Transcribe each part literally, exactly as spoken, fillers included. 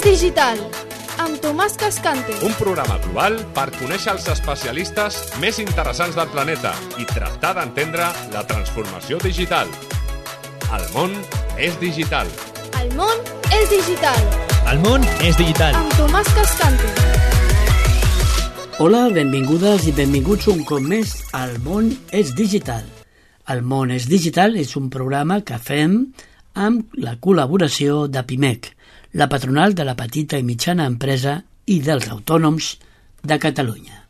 digital, amb Tomàs Cascante. Un programa global per conèixer els especialistes més interessants del planeta i tractar d'entendre la transformació digital. El món és digital. El món és digital. El món és digital. Amb Tomàs Cascante. Hola, benvingudes i benvinguts un cop més al món és digital. El món és digital és un programa que fem amb la col·laboració de Pimec, la patronal de la petita i mitjana empresa i dels autònoms de Catalunya.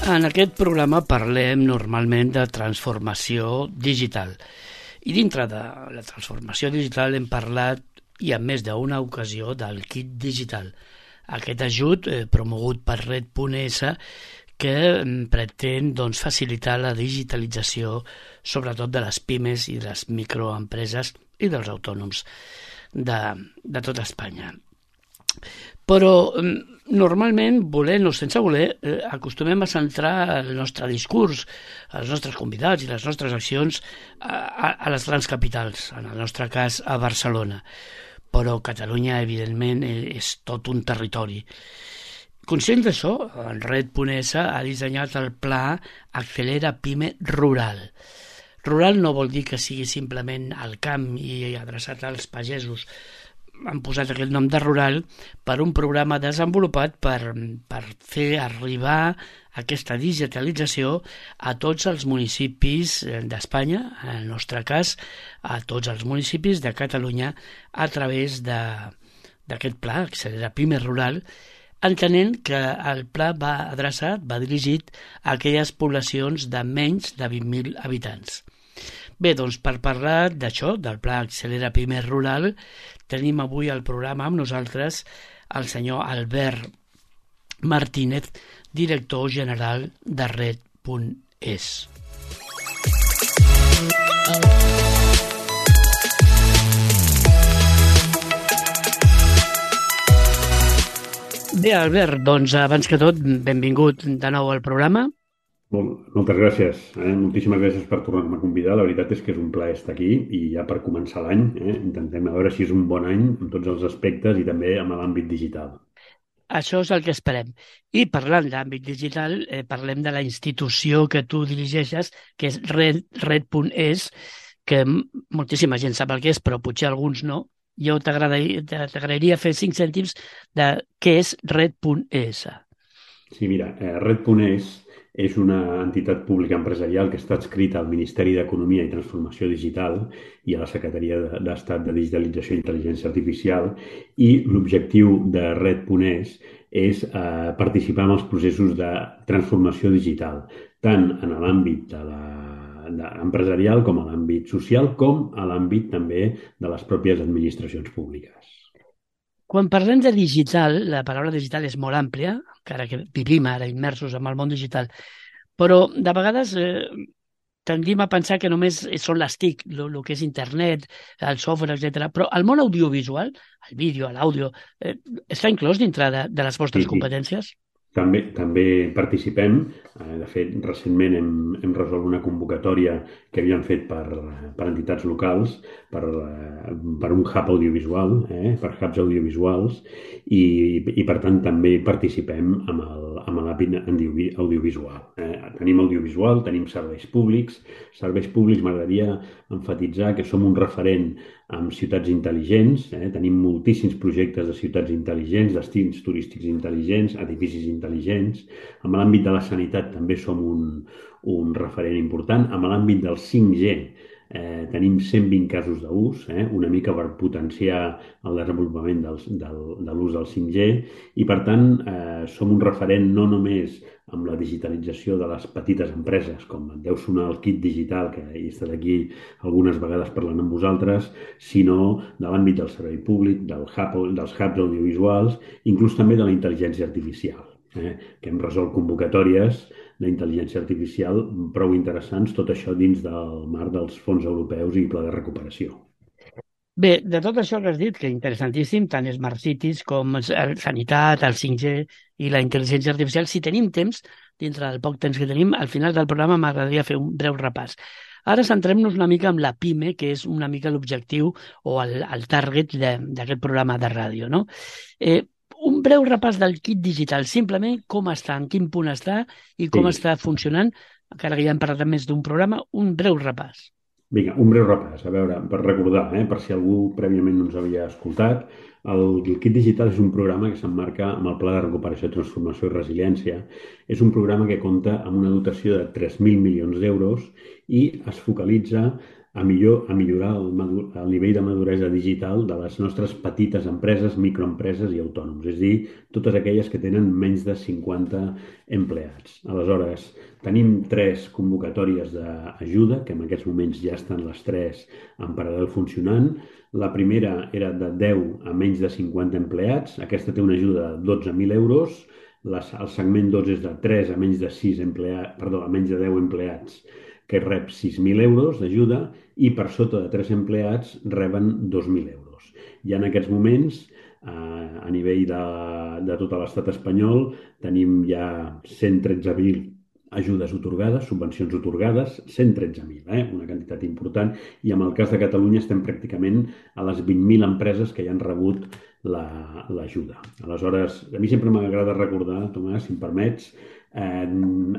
En aquest programa parlem normalment de transformació digital. I dintre de la transformació digital hem parlat, i en més d'una ocasió, del kit digital. Aquest ajut eh, promogut per Red punt es que pretén doncs, facilitar la digitalització sobretot de les pimes i de les microempreses i dels autònoms de, de tot Espanya. Però normalment, volent o sense voler, eh, acostumem a centrar el nostre discurs, els nostres convidats i les nostres accions a, a, a les grans capitals, en el nostre cas a Barcelona. Però Catalunya, evidentment, és tot un territori. Conscient d'això, el Red punt es ha dissenyat el pla Accelera Pime Rural. Rural no vol dir que sigui simplement al camp i adreçat als pagesos. Han posat aquest nom de rural per un programa desenvolupat per, per fer arribar aquesta digitalització a tots els municipis d'Espanya, en el nostre cas, a tots els municipis de Catalunya, a través d'aquest pla, Accelera Pime Rural, entenent que el pla va adreçat, va dirigit a aquelles poblacions de menys de vint mil habitants. Bé, doncs per parlar d'això, del pla Accelera Pime Rural, tenim avui al programa amb nosaltres el senyor Albert Martínez, director general de Red punt es. Bé, Albert, doncs abans que tot, benvingut de nou al programa. Moltes gràcies. Eh? Moltíssimes gràcies per tornar-me a convidar. La veritat és que és un plaer estar aquí i ja per començar l'any eh? intentem veure si és un bon any en tots els aspectes i també en l'àmbit digital. Això és el que esperem. I parlant d'àmbit digital, eh, parlem de la institució que tu dirigeixes, que és Red, Red punt es, que moltíssima gent sap el que és, però potser alguns no. Jo t'agradaria fer cinc cèntims de què és Red punt es. Sí, mira, eh, Red punt es és una entitat pública empresarial que està adscrita al Ministeri d'Economia i Transformació Digital i a la Secretaria d'Estat de Digitalització i Intel·ligència Artificial, i l'objectiu de Red punt es és eh, participar en els processos de transformació digital, tant en l'àmbit de la de, empresarial com a l'àmbit social, com a l'àmbit també de les pròpies administracions públiques. Quan parlem de digital, la paraula digital és molt àmplia, encara que vivim ara immersos en el món digital, però de vegades eh, tendim a pensar que només són les T I C, el que és internet, el software, etcètera. Però el món audiovisual, el vídeo, l'àudio, eh, està inclòs dintre de, de les vostres sí, sí. competències? També, també participem. De fet, recentment hem, hem resolt una convocatòria que havíem fet per, per entitats locals, per, per un hub audiovisual, eh, per hubs audiovisuals, i, i per tant també participem amb el, amb l'àmbit audiovisual. Eh. Tenim audiovisual, tenim serveis públics. Serveis públics m'agradaria emfatitzar que som un referent amb ciutats intel·ligents, eh? Tenim moltíssims projectes de ciutats intel·ligents, destins turístics intel·ligents, edificis intel·ligents. En l'àmbit de la sanitat també som un, un referent important. En l'àmbit del cinc G eh, tenim cent vint casos d'ús, eh? una mica per potenciar el desenvolupament del, del, de l'ús del cinc G, i per tant eh, som un referent no només amb la digitalització de les petites empreses, com deu sonar el kit digital, que he estat aquí algunes vegades parlant amb vosaltres, sinó de l'àmbit del servei públic, del hub, dels hubs audiovisuals, inclús també de la intel·ligència artificial, eh? que hem resolt convocatòries d'intel·ligència artificial prou interessants, tot això dins del marc dels fons europeus i pla de recuperació. Bé, de tot això que has dit, que interessantíssim, tant Smart Cities com el sanitat, el cinc G i la intel·ligència artificial, si tenim temps, dintre del poc temps que tenim. Al final del programa m'agradaria fer un breu repàs. Ara centrem-nos una mica en la PIME, que és una mica l'objectiu o el, el target d'aquest programa de ràdio, no? Eh, un breu repàs del kit digital, simplement com està, en quin punt està i com Sí. està funcionant, encara que ja hem parlat més d'un programa, un breu repàs. Vinga, un breu repàs, a veure, per recordar, eh, per si algú prèviament no ens havia escoltat, el, el Kit Digital és un programa que s'emmarca amb el Pla de Recuperació, Transformació i Resiliència. És un programa que compta amb una dotació de tres mil milions d'euros i es focalitza a, millor, a millorar el, madu- el nivell de maduresa digital de les nostres petites empreses, microempreses i autònoms, és a dir, totes aquelles que tenen menys de cinquanta empleats. Aleshores, tenim tres convocatòries d'ajuda, que en aquests moments ja estan les tres en paral·lel funcionant. La primera era de deu a menys de cinquanta empleats. Aquesta té una ajuda de dotze mil euros. Les, el segment dos és de tres a menys de sis empleats, perdó, a menys de deu empleats, que rep sis mil euros d'ajuda, i per sota de tres empleats reben dos mil euros. I en aquests moments, eh, a nivell de, de tot l'estat espanyol, tenim ja cent tretze mil ajudes atorgades, subvencions atorgades, cent tretze mil, eh? Una quantitat important, i en el cas de Catalunya estem pràcticament a les vint mil empreses que ja han rebut la- l'ajuda. Aleshores, a mi sempre m'agrada recordar, Tomàs, si em permets, eh,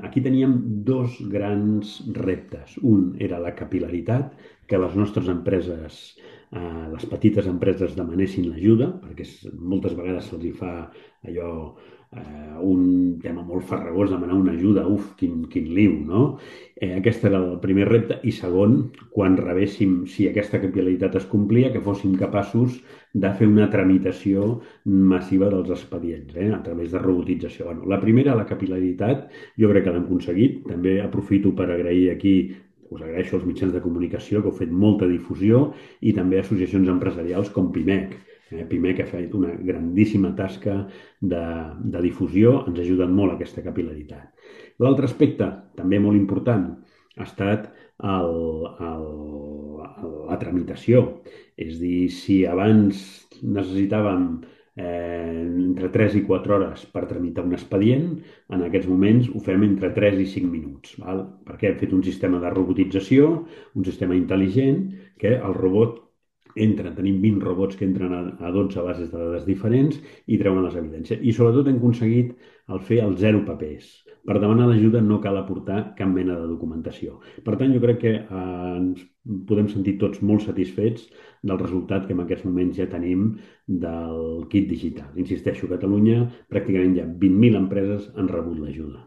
aquí teníem dos grans reptes. Un era la capil·laritat, que les nostres empreses, eh, les petites empreses demanessin l'ajuda, perquè es- moltes vegades se'ls hi fa allò eh, un tema molt farragós, demanar una ajuda, uf, quin, quin liu, no? Eh, aquest era el primer repte. I segon, quan rebéssim, si aquesta capil·laritat es complia, que fóssim capaços de fer una tramitació massiva dels expedients, eh, a través de robotització. Bueno, la primera, la capil·laritat, jo crec que l'hem aconseguit. També aprofito per agrair aquí, us agraeixo als mitjans de comunicació que heu fet molta difusió, i també associacions empresarials com PIMEC. Eh, PIMEC ha fet una grandíssima tasca de, de difusió, ens ha ajudat molt aquesta capil·laritat. L'altre aspecte, també molt important, ha estat el, el, la tramitació. És a dir, si abans necessitàvem eh, entre tres i quatre hores per tramitar un expedient, en aquests moments ho fem entre tres i cinc minuts. Val? Perquè hem fet un sistema de robotització, un sistema intel·ligent, que el robot entra, tenim vint robots que entren a, a dotze bases de dades diferents i treuen les evidències. I sobretot hem aconseguit el fer el zero papers. Per demanar l'ajuda no cal aportar cap mena de documentació. Per tant, jo crec que eh, ens podem sentir tots molt satisfets del resultat que en aquests moments ja tenim del kit digital. Insisteixo, a Catalunya pràcticament ja vint mil empreses han rebut l'ajuda.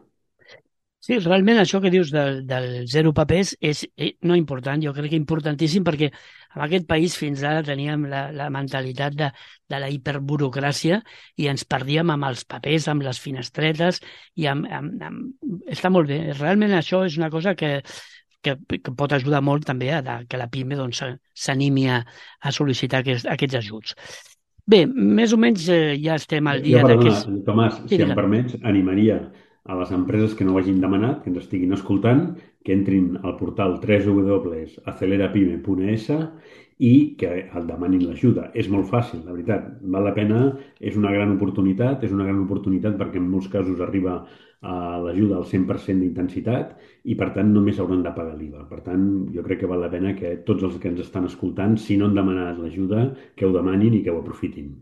Sí, realment això que dius del, del zero papers és eh, no important, jo crec que importantíssim, perquè en aquest país fins ara teníem la, la mentalitat de, de la hiperburocràcia i ens perdíem amb els papers, amb les finestretes, i amb, amb, amb... està molt bé. Realment això és una cosa que, que, que pot ajudar molt també a la, que la PIME doncs, s'animi a, a sol·licitar aquests, aquests ajuts. Bé, més o menys eh, ja estem al dia Jo, perdona, d'aquests... Tomàs, Sí, si em digue'm. permets, animaria a les empreses que no ho hagin demanat, que ens estiguin escoltant, que entrin al portal w w w punt acelerapime punt es i que el demanin l'ajuda. És molt fàcil, la veritat. Val la pena, és una gran oportunitat, és una gran oportunitat perquè en molts casos arriba a l'ajuda al cent per cent d'intensitat i, per tant, només hauran de pagar l'I V A. Per tant, jo crec que val la pena que tots els que ens estan escoltant, si no han demanat l'ajuda, que ho demanin i que ho aprofitin.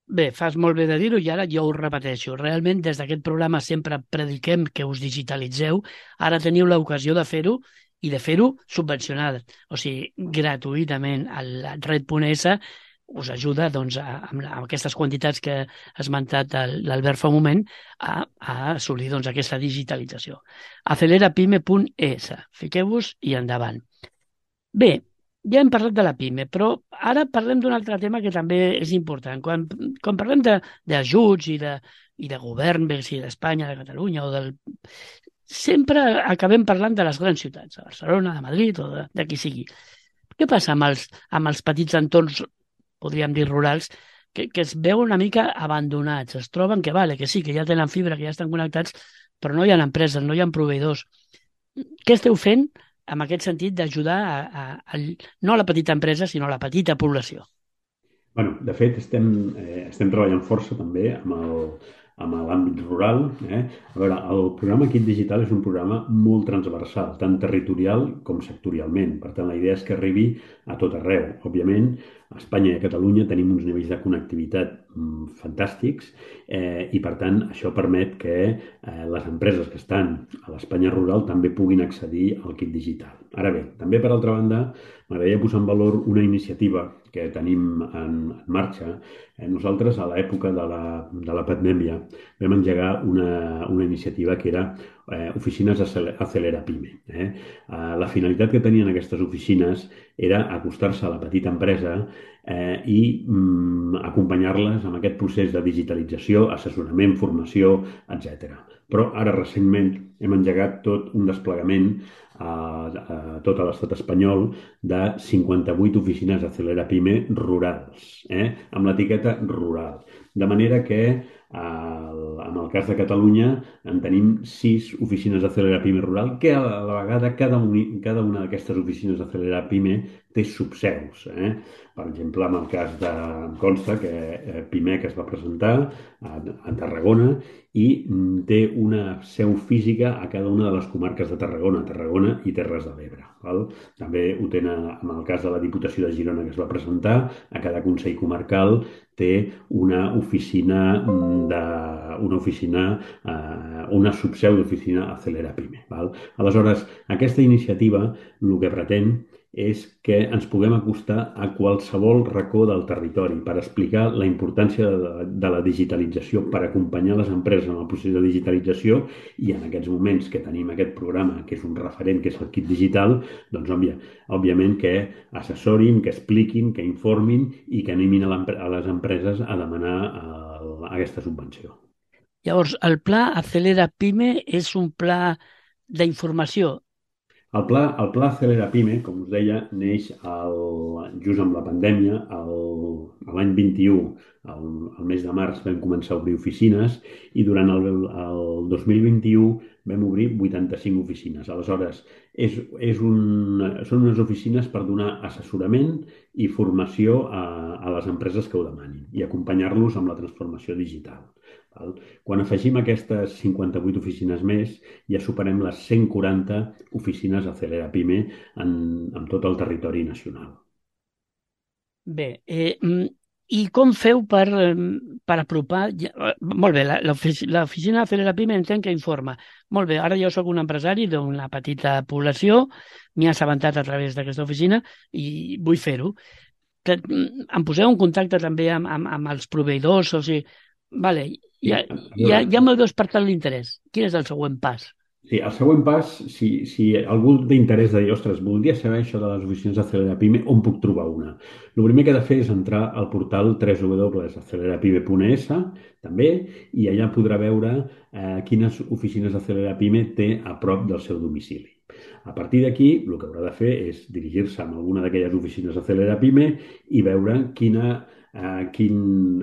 Bé, fas molt bé de dir-ho i ara jo ho repeteixo. Realment, des d'aquest programa sempre prediquem que us digitalitzeu. Ara teniu l'ocasió de fer-ho i de fer-ho subvencionat, o sigui, gratuïtament. El red.es us ajuda doncs, a, amb aquestes quantitats que ha esmentat l'Albert fa un moment a, a assolir doncs, aquesta digitalització. acelerapime punt es. Fiqueu-vos i endavant. Bé, ja hem parlat de la PIME, però ara parlem d'un altre tema que també és important. Quan, quan parlem d'ajuts i, de, i de govern, bé sigui d'Espanya, de Catalunya o del... sempre acabem parlant de les grans ciutats, de Barcelona, de Madrid o de, de qui sigui. Què passa amb els, amb els petits entorns, podríem dir rurals, que, que es veuen una mica abandonats? Es troben que, vale, que sí, que ja tenen fibra, que ja estan connectats, però no hi ha empreses, no hi ha proveïdors. Què esteu fent en aquest sentit d'ajudar a, a, a, no a la petita empresa, sinó a la petita població? Bueno, de fet, estem, eh, estem treballant força també amb el, amb l'àmbit rural. Eh? A veure, el programa Kit Digital és un programa molt transversal, tant territorial com sectorialment. Per tant, la idea és que arribi a tot arreu. Òbviament, a Espanya i a Catalunya tenim uns nivells de connectivitat mm, fantàstics eh, i, per tant, això permet que eh, les empreses que estan a l'Espanya rural també puguin accedir al Kit Digital. Ara bé, també, per altra banda, m'agradaria posar en valor una iniciativa que tenim en, en marxa. Eh, nosaltres, a l'època de la, de la pandèmia, vam engegar una, una iniciativa que era eh, Oficines Acelera Pime. Eh? Eh, la finalitat que tenien aquestes oficines era acostar-se a la petita empresa eh, i mm, acompanyar-les en aquest procés de digitalització, assessorament, formació, etcètera. Però ara, recentment, hem engegat tot un desplegament a, a tot l'estat espanyol de cinquanta-vuit oficines Acelera Pime rurals, eh? Amb l'etiqueta rural. De manera que el, en el cas de Catalunya en tenim sis oficines Acelera Pime rural que a la vegada cada, un, cada una d'aquestes oficines Acelera Pime té subseus. Eh? Per exemple, en el cas de em consta que eh, Pimec es va presentar a, a Tarragona i té una seu física a cada una de les comarques de Tarragona, Tarragona i Terres de l'Ebre. Val? També ho tenen en el cas de la Diputació de Girona que es va presentar, a cada Consell Comarcal té una oficina de una oficina, eh, una subseu d'oficina Acelera Pime. Val? Aleshores, aquesta iniciativa el que pretén és que ens puguem acostar a qualsevol racó del territori per explicar la importància de, de la digitalització, per acompanyar les empreses en el procés de digitalització i en aquests moments que tenim aquest programa, que és un referent, que és el Kit Digital, doncs òbvia, òbviament que assessorin, que expliquin, que informin i que animin a, a les empreses a demanar el, aquesta subvenció. Llavors, el pla Acelera Pime és un pla d'informació. El pla, el pla Acelera Pime, com us deia, neix el, just amb la pandèmia, l'any vint-i-u, el, el mes de març, vam començar a obrir oficines i durant el, el dos mil vint-i-u vam obrir vuitanta-cinc oficines. Aleshores, és, és un, són unes oficines per donar assessorament i formació a, a les empreses que ho demanin i acompanyar-los amb la transformació digital. Quan afegim aquestes cinquanta-vuit oficines més, ja superem les cent quaranta oficines Acelera Pime en, en tot el territori nacional. Bé, eh, i com feu per, per apropar... Molt bé, l'oficina Acelera Pime entenc que informa. Molt bé, ara jo sóc un empresari d'una petita població, m'he assabentat a través d'aquesta oficina i vull fer-ho. Em poseu en contacte també amb, amb, amb els proveïdors, o sigui... Vale, ja, ja, ja me'l veus per tant l'interès. Quin és el següent pas? Sí, el següent pas, si, si algú d'interès de dir, ostres, voldria saber això de les oficines d'Acelera Pime, on puc trobar una? El primer que he de fer és entrar al portal w w w punt acelera pime punt es, també, i allà podrà veure eh, quines oficines d'Acelera Pime té a prop del seu domicili. A partir d'aquí, el que haurà de fer és dirigir-se a alguna d'aquelles oficines d'Acelera Pime i veure quina Uh, quin,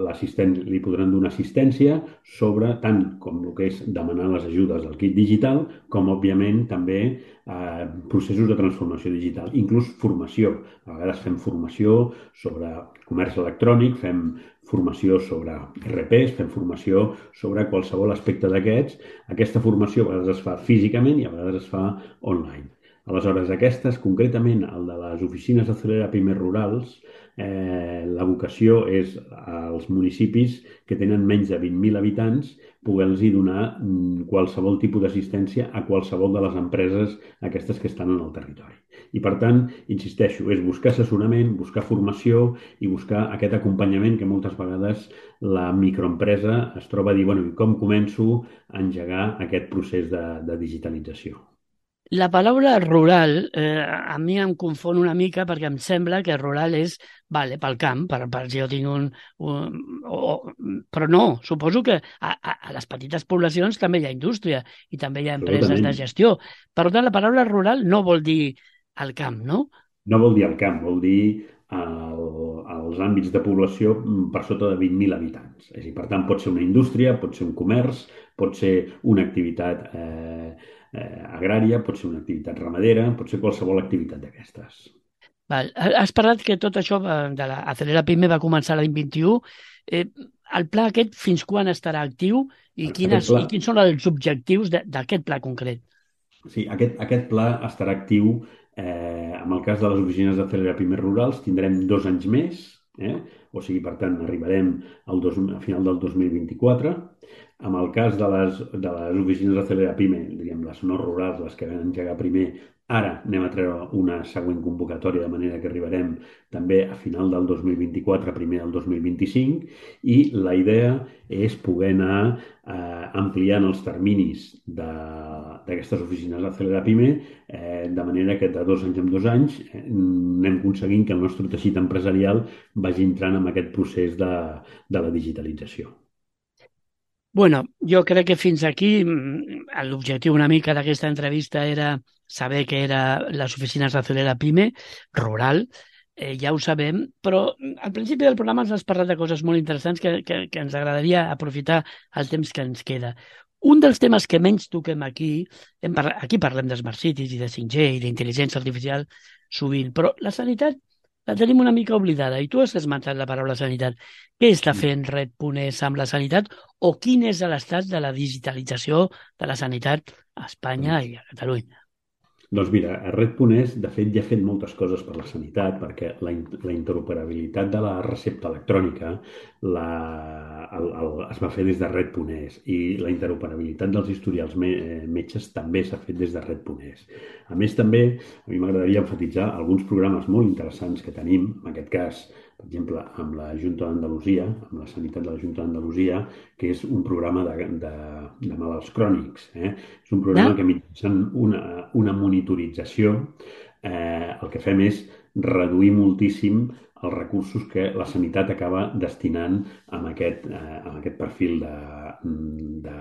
l'assistent li podran donar assistència sobre tant com el que és demanar les ajudes del kit digital com, òbviament, també uh, processos de transformació digital, inclús formació. A vegades fem formació sobre comerç electrònic, fem formació sobre R Ps, fem formació sobre qualsevol aspecte d'aquests. Aquesta formació a vegades es fa físicament i a vegades es fa online. Aleshores, aquestes, concretament el de les oficines Acelera Pime rurals, eh, la vocació és als municipis que tenen menys de vint mil habitants poder-los donar qualsevol tipus d'assistència a qualsevol de les empreses aquestes que estan en el territori. I, per tant, insisteixo, és buscar assessorament, buscar formació i buscar aquest acompanyament que moltes vegades la microempresa es troba a dir, bueno, com començo a engegar aquest procés de, de digitalització? La paraula rural eh, a mi em confon una mica perquè em sembla que rural és, vale, pel camp, per, per si jo tinc un... un o, però no, suposo que a, a, a les petites poblacions també hi ha indústria i també hi ha empreses de gestió. Per tant, la paraula rural no vol dir al camp, no? No vol dir al camp, vol dir el, els àmbits de població per sota de vint mil habitants. És a dir, per tant, pot ser una indústria, pot ser un comerç, pot ser una activitat eh, eh, agrària, pot ser una activitat ramadera, pot ser qualsevol activitat d'aquestes. Val. Has parlat que tot això de la Acelera Pime va començar l'any vint-i-u. Eh, el pla aquest fins quan estarà actiu i, quines, pla... i quins són els objectius d'aquest pla concret? Sí, aquest, aquest pla estarà actiu eh, en el cas de les oficines de Celera Pimes Rurals, tindrem dos anys més, eh? O sigui, per tant, arribarem al dos, a final del dos mil vint-i-quatre. En el cas de les, de les oficines de Celera Pime, diguem, les no rurals, les que van engegar primer, ara anem a treure una següent convocatòria, de manera que arribarem també a final del dos mil vint-i-quatre, primer del dos mil vint-i-cinc, i la idea és poder anar eh, ampliant els terminis d'aquestes oficines de Celera Pime, eh, de manera que de dos anys en dos anys eh, anem aconseguint que el nostre teixit empresarial vagi entrant en aquest procés de, de la digitalització. Bueno, jo crec que fins aquí l'objectiu una mica d'aquesta entrevista era saber que era les oficines de Celera Pime, rural, eh, ja ho sabem, però al principi del programa ens has parlat de coses molt interessants que, que, que ens agradaria aprofitar el temps que ens queda. Un dels temes que menys toquem aquí, hem par... aquí parlem de Smart Cities i de cinc G i d'intel·ligència artificial sovint, però la sanitat la tenim una mica oblidada, i tu has esmentat la paraula sanitat. Què està fent Red.es amb la sanitat o quin és l'estat de la digitalització de la sanitat a Espanya i a Catalunya? Doncs mira, Red.es, de fet, ja ha fet moltes coses per la sanitat, perquè la, la interoperabilitat de la recepta electrònica la, el, el, es va fer des de Red.es i la interoperabilitat dels historials me, metges també s'ha fet des de Red.es. A més, també, a mi m'agradaria enfatitzar alguns programes molt interessants que tenim, en aquest cas, per exemple, amb la Junta d'Andalusia, amb la sanitat de la Junta d'Andalusia, que és un programa de, de, de malalts crònics. Eh? És un programa que mitjançant una, una monitorització eh, el que fem és reduir moltíssim els recursos que la sanitat acaba destinant a aquest, eh, a aquest perfil de, de,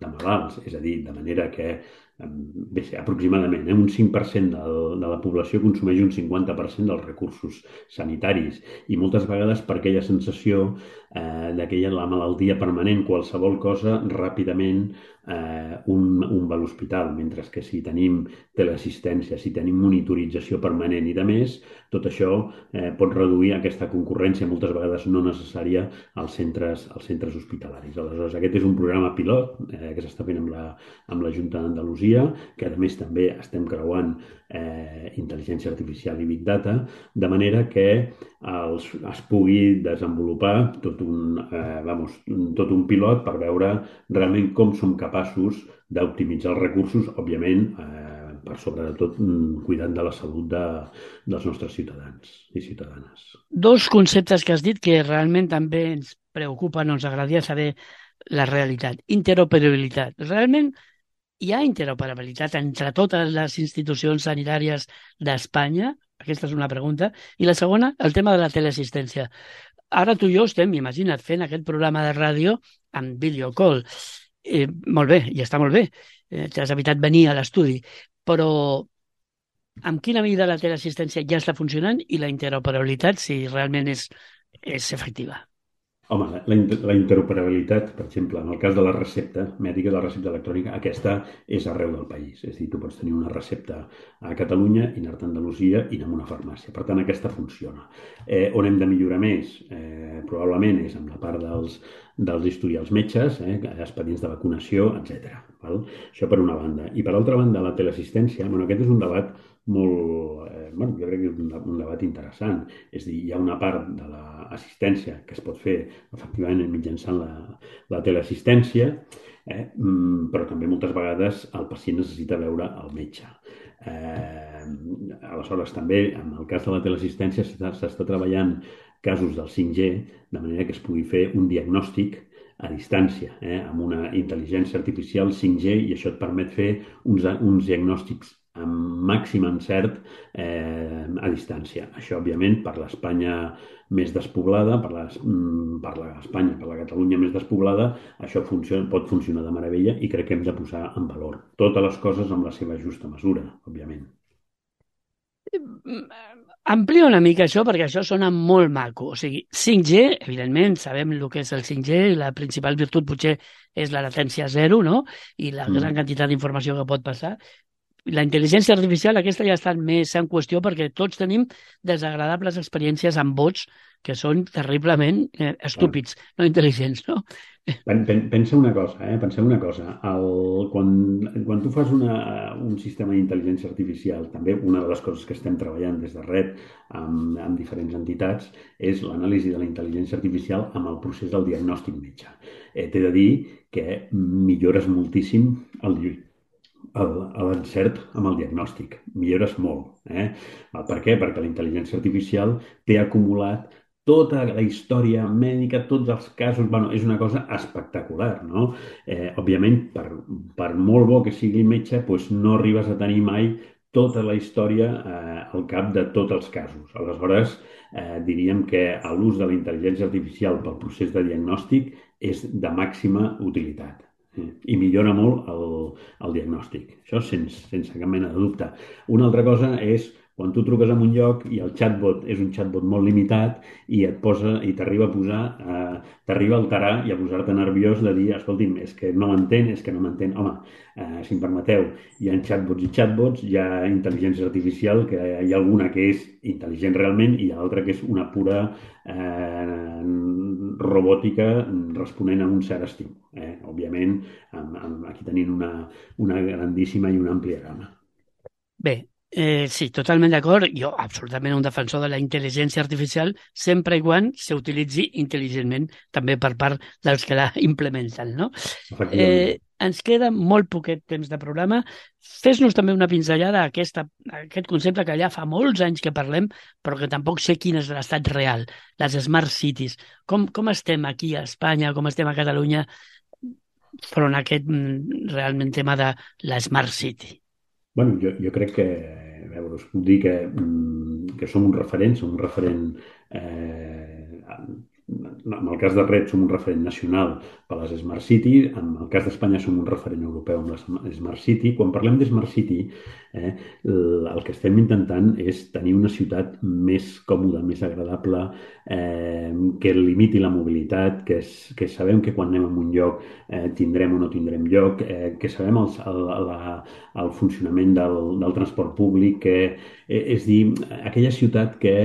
de malalts. És a dir, de manera que bé, aproximadament eh, un cinc per cent de, de la població consumeix un cinquanta per cent dels recursos sanitaris i moltes vegades per aquella sensació eh, d'aquella la malaltia permanent, qualsevol cosa ràpidament eh, un, un va a l'hospital, mentre que si tenim teleassistència, si tenim monitorització permanent i de més, tot això eh, pot reduir aquesta concurrència moltes vegades no necessària als centres, als centres hospitalaris. Aleshores, aquest és un programa pilot eh, que s'està fent amb la, amb la Junta d'Andalusia, que a més també estem creuant eh, intel·ligència artificial i big data, de manera que els, es pugui desenvolupar tot un, eh, vamos, tot un pilot per veure realment com som capaços d'optimitzar els recursos, òbviament, eh, per sobretot cuidant de la salut de, dels nostres ciutadans i ciutadanes. Dos conceptes que has dit que realment també ens preocupen, ens agradaria saber la realitat. Interoperabilitat. Realment hi ha interoperabilitat entre totes les institucions sanitàries d'Espanya? Aquesta és una pregunta. I la segona, el tema de la teleassistència. Ara tu i jo estem, imagina't, fent aquest programa de ràdio amb videocall. Eh, molt bé, i està molt bé. Eh, T'has evitat venir a l'estudi. Però amb quina medida la teleassistència ja està funcionant i la interoperabilitat, si realment és, és efectiva? Home, la, la interoperabilitat, per exemple, en el cas de la recepta mèdica, de la recepta electrònica, aquesta és arreu del país. És a dir, tu pots tenir una recepta a Catalunya i anar-te a Andalusia i anar a una farmàcia. Per tant, aquesta funciona. Eh, on hem de millorar més? Eh, probablement és amb la part dels, dels historials metges, eh, expedients de vacunació, etcètera. Val? Això per una banda. I per altra banda, la teleassistència, bueno, aquest és un debat molt, eh, bueno, jo crec que és un, un debat interessant. És a dir, hi ha una part de l'assistència que es pot fer efectivament mitjançant la, la teleassistència, eh, però també moltes vegades el pacient necessita veure el metge. Eh, aleshores, també, en el cas de la teleassistència, s'està treballant casos del cinc G, de manera que es pugui fer un diagnòstic a distància, eh, amb una intel·ligència artificial cinc G, i això et permet fer uns, uns diagnòstics amb màxim encert eh, a distància. Això, òbviament, per l'Espanya més despoblada, per, les, per l'Espanya, per la Catalunya més despoblada, això funciona, pot funcionar de meravella i crec que hem de posar en valor totes les coses amb la seva justa mesura, òbviament. Amplia una mica això, perquè això sona molt maco. O sigui, cinc G, evidentment, sabem el que és el cinc G, la principal virtut potser és la latència zero, no? I la gran quantitat d'informació que pot passar. la intel·ligència artificial aquesta ja està més en qüestió perquè tots tenim desagradables experiències amb bots que són terriblement eh, estúpids, no intel·ligents, no? Pen, pen, pensa una cosa, eh? Penseu una cosa. El, quan, quan tu fas una, un sistema d'intel·ligència artificial, també una de les coses que estem treballant des de Red amb, amb diferents entitats és l'anàlisi de la intel·ligència artificial amb el procés del diagnòstic metge. Eh, T'he de dir que millores moltíssim el, l'encert amb el diagnòstic. Millores molt. Eh? Per què? Perquè la intel·ligència artificial té acumulat tota la història mèdica, tots els casos, bueno, és una cosa espectacular, no? Eh, òbviament, per, per molt bo que sigui metge, doncs no arribes a tenir mai tota la història eh, al cap de tots els casos. Aleshores, eh, diríem que l'ús de la intel·ligència artificial pel procés de diagnòstic és de màxima utilitat. Eh? I millora molt el, el diagnòstic. Això sense, sense cap mena de dubte. Una altra cosa és quan tu truques a un lloc i el chatbot és un chatbot molt limitat i et posa i t'arriba a posar, eh, t'arriba a alterar i a posar-te nerviós de dir, escolti'm, és que no m'entén, és que no m'entén. Home, eh, si em permeteu, hi ha chatbots i chatbots, hi ha intel·ligència artificial, que hi ha alguna que és intel·ligent realment i hi ha altra que és una pura eh, robòtica responent a un cert estímul. Eh? Òbviament, amb, amb, aquí tenim una, una grandíssima i una àmplia gamma. Bé, Eh, sí, totalment d'acord. Jo, absolutament un defensor de la intel·ligència artificial sempre i quan s'utilitzi intel·ligentment també per part dels que la implementen, no? Eh, ens queda molt poquet temps de programa. Fes-nos també una pinzellada a, aquesta, a aquest concepte que ja fa molts anys que parlem, però que tampoc sé quin és l'estat real, les smart cities. Com, com estem aquí a Espanya, com estem a Catalunya front a aquest realment tema de la smart city? Bueno, jo, jo crec que, a veure, us puc dir que, que som un referent, som un referent, eh, en el cas de Red som un referent nacional per les Smart City, en el cas d'Espanya som un referent europeu amb la Smart City. Quan parlem de Smart City, eh, el que estem intentant és tenir una ciutat més còmoda, més agradable, eh, que limiti la mobilitat, que, és, que sabem que quan anem a un lloc eh, tindrem o no tindrem lloc, eh, que sabem el, el, la, el funcionament del, del transport públic, que eh, és dir, aquella ciutat que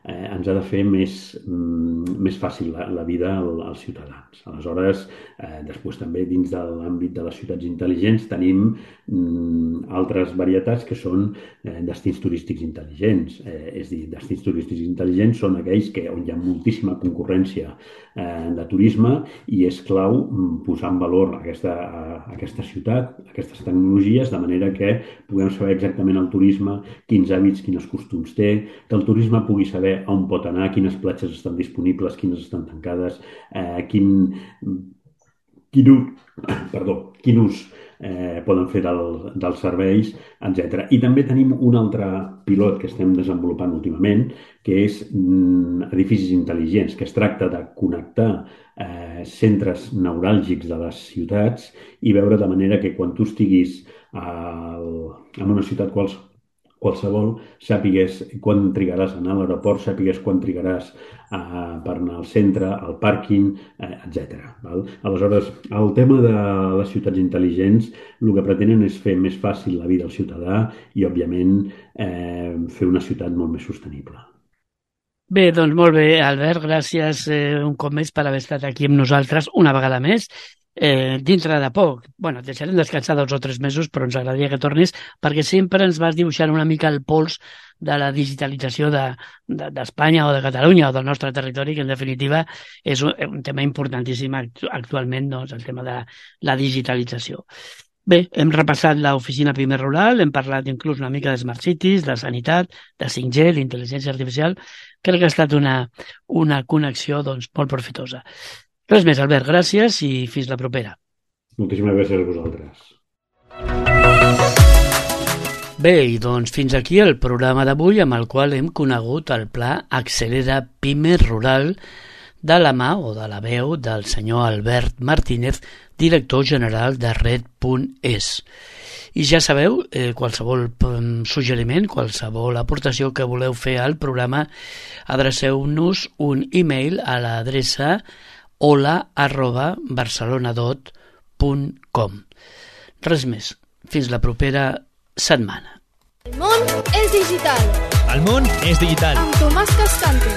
eh, ens ha de fer més, mm, més fàcil la, la vida als ciutadans. Aleshores, eh, després també dins de l'àmbit de les ciutats intel·ligents tenim mm, altres varietats que són eh, destins turístics intel·ligents. Eh, és dir, destins turístics intel·ligents són aquells que, on hi ha moltíssima concurrència eh, de turisme i és clau mm, posar en valor aquesta, a, aquesta ciutat, aquestes tecnologies, de manera que puguem saber exactament el turisme, quins hàbits, quins costums té, que el turisme pugui saber on pot anar, quines platges estan disponibles, quines estan tancades, eh, quin, quin, perdó, quin ús eh, poden fer del, dels serveis, etcètera. I també tenim un altre pilot que estem desenvolupant últimament, que és mm, edificis intel·ligents, que es tracta de connectar eh, centres neuràlgics de les ciutats i veure de manera que quan tu estiguis al, en una ciutat qualsevol, qualsevol, sàpigues quan trigaràs a anar a l'aeroport, sàpigues quan trigaràs uh, per anar al centre, al pàrquing, uh, etcètera. Val? Aleshores, el tema de les ciutats intel·ligents, el que pretenen és fer més fàcil la vida al ciutadà i, òbviament, eh, fer una ciutat molt més sostenible. Bé, doncs molt bé, Albert, gràcies eh, un cop més per haver estat aquí amb nosaltres una vegada més. Eh, dintre de poc, bueno, et deixarem descansar dos o tres mesos, però ens agradaria que tornis perquè sempre ens vas dibuixant una mica el pols de la digitalització d'Espanya de, de, o de Catalunya o del nostre territori, que en definitiva és un, un tema importantíssim actualment, doncs, el tema de la digitalització. Bé, hem repassat l'oficina Pimer Rural, hem parlat inclús una mica de Smart Cities, de sanitat, de cinc G, l'intel·ligència artificial. Crec que ha estat una, una connexió doncs, molt profitosa. Res més, Albert, gràcies i fins la propera. Moltíssimes gràcies a vosaltres. Bé, i doncs fins aquí el programa d'avui amb el qual hem conegut el pla Accelera Pimer Rural de la mà o de la veu del senyor Albert Martínez, director general de Red punt es. I ja sabeu, eh, qualsevol suggeriment, qualsevol aportació que voleu fer al programa, adreceu-nos un e-mail a l'adreça hola arroba barcelonadot punt com. Res més. Fins la propera setmana. El món és digital. El món és digital. Amb Tomàs Cascante.